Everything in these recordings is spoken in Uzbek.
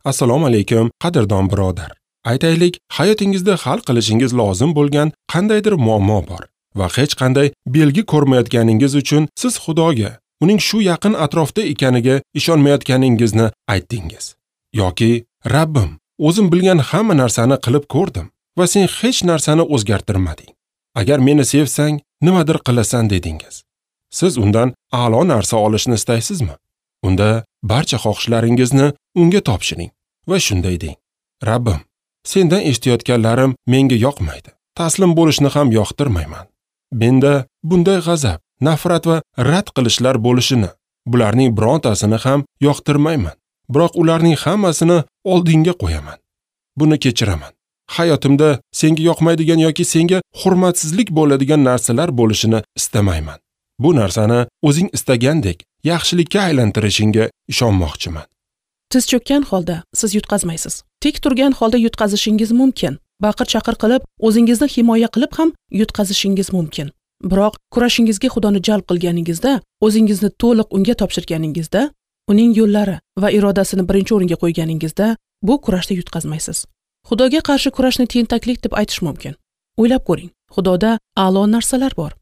Assalomu alaykum, qadrdon birodar. Aytaylik, hayotingizda hal qilishingiz lozim bo'lgan qandaydir muammo bor va hech qanday belgi ko'rmayotganingiz uchun siz Xudoga, uning shu yaqin atrofda ekaniga ishonmayotganingizni aytdingiz. Yoki Rabbim, o'zim bilgan hamma narsani qilib ko'rdim va sen hech narsani o'zgartirmading. Agar meni sevsang, nimadir qilasan dedingiz. Siz undan a'lo narsa olishni istaysizmi? Unda barcha xohishlaringizni unga topshiring va shunday deng: Rabbim, sendan eshitayotganlarim menga yoqmaydi. Taslim bo'lishni ham yoqtirmayman. Menda bunday g'azab, nafrat va rad qilishlar bo'lishini, bularning birontasini ham yoqtirmayman. Biroq ularning hammasini oldinga qo'yaman. Buni kechiraman. Hayotimda senga yoqmaydigan yoki senga hurmatsizlik bo'ladigan narsalar bo'lishini istamayman. Bu narsani o'zing istagandek yaxshilikka aylantirishingga ishonmoqchiman. Tiz cho'kkan holda siz yutqazmaysiz. Tik turgan holda yutqazishingiz mumkin. Baqir-chaqir qilib, o'zingizni himoya qilib ham yutqazishingiz mumkin. Biroq kurashingizga Xudoni jalb qilganingizda, o'zingizni to'liq unga topshirganingizda, uning yo'llari va irodasini birinchi o'ringa qo'yganingizda bu kurashda yutqazmaysiz. Xudoga qarshi kurashni tentaklik deb aytish mumkin. O'ylab ko'ring, Xudoda a'lo narsalar bor.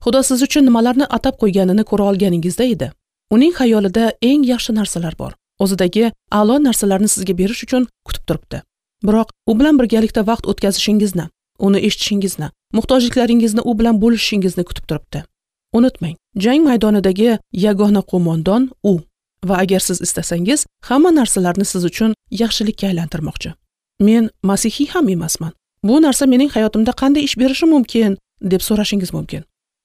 Xudo siz uchun nimalarni atab qo'yganini ko'ra olganingizda edi. Uning xayolida eng yaxshi narsalar bor. O'zidagi a'lo narsalarni sizga berish uchun kutib turibdi. Biroq u bilan birgalikda vaqt o'tkazishingizni, uni eshitishingizni, muhtojliklaringizni u bilan bo'lishishingizni kutib turibdi. Unutmang, jang maydonidagi yagona qo'mondon u va agar siz istasangiz, hamma narsalarni siz uchun yaxshilikka aylantirmoqchi. Men masihiy ham emasman. Bu narsa mening hayotimda qanday ish berishi mumkin deb so'rashingiz mumkin.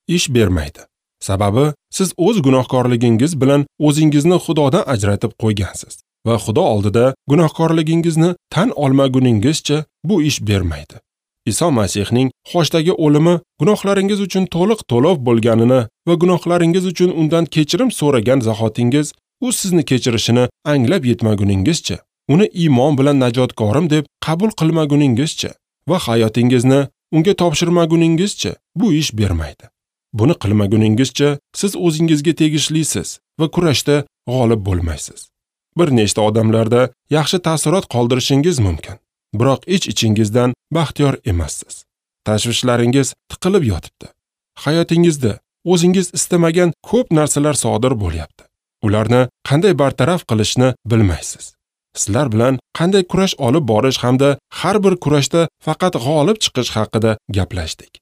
Ish bermaydi. Sababi siz o'z gunohkorligingiz bilan o'zingizni Xudodan ajratib qo'ygansiz va Xudo oldida gunohkorligingizni tan olmaguningizcha bu ish bermaydi. Iso Masihning xochdagi o'limi gunohlaringiz uchun to'liq to'lov bo'lganini va gunohlaringiz uchun undan kechirim so'ragan zahotingiz u sizni kechirishini anglab yetmaguningizcha, uni iymon bilan najotkorim deb qabul qilmaguningizcha va hayotingizni unga topshirmaguningizcha bu ish bermaydi. Buni qilmaguningizcha siz o'zingizga tegishlisiz va kurashda g'olib bo'lmaysiz. Bir nechta odamlarda yaxshi ta'sirot qoldirishingiz mumkin, biroq ich-ichingizdan baxtiyor emassiz. Tashvishlaringiz tiqilib yotibdi. Hayotingizda o'zingiz istamagan ko'p narsalar sodir bo'lyapti. Ularni qanday bartaraf qilishni bilmaysiz. Sizlar bilan qanday kurash olib borish hamda har bir kurashda faqat g'olib chiqish haqida gaplashdik.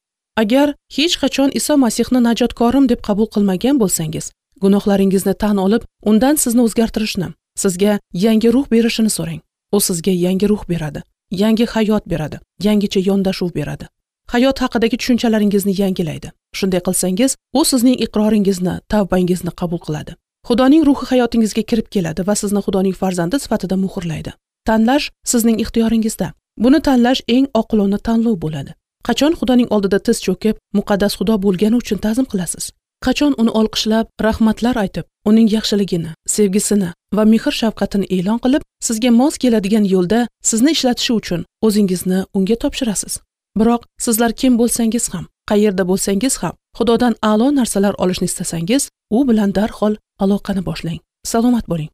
Agar hech qachon Iso Masihni najotkorim deb qabul qilmagan bo'lsangiz, gunohlaringizni tan olib, undan sizni o'zgartirishni, sizga yangi ruh berishini so'rang. U sizga yangi ruh beradi, yangi hayot beradi, yangicha yondashuv beradi. Hayot haqidagi tushunchalaringizni yangilaydi. Shunday qilsangiz, u sizning iqroringizni, tavbangizni qabul qiladi. Xudoning ruhi hayotingizga kirib keladi va sizni Xudoning farzandi sifatida muhrlaydi. Tanlash sizning ixtiyoringizda. Buni tanlash eng oqilona tanlov bo'ladi. Qachon Xudoning oldida tiz cho'kib, muqaddas Xudo bo'lgani uchun ta'zim qilasiz? Qachon uni olqishlab, rahmatlar aytib, uning yaxshiligini, sevgisini va mehr-shafqatini e'lon qilib, sizga mos keladigan yo'lda sizni ishlatishi uchun o'zingizni unga topshirasiz? Biroq sizlar kim bo'lsangiz ham, qayerda bo'lsangiz ham, Xudodan a'lo narsalar olishni istasangiz, u bilan darhol aloqani boshlang. Salomat bo'ling.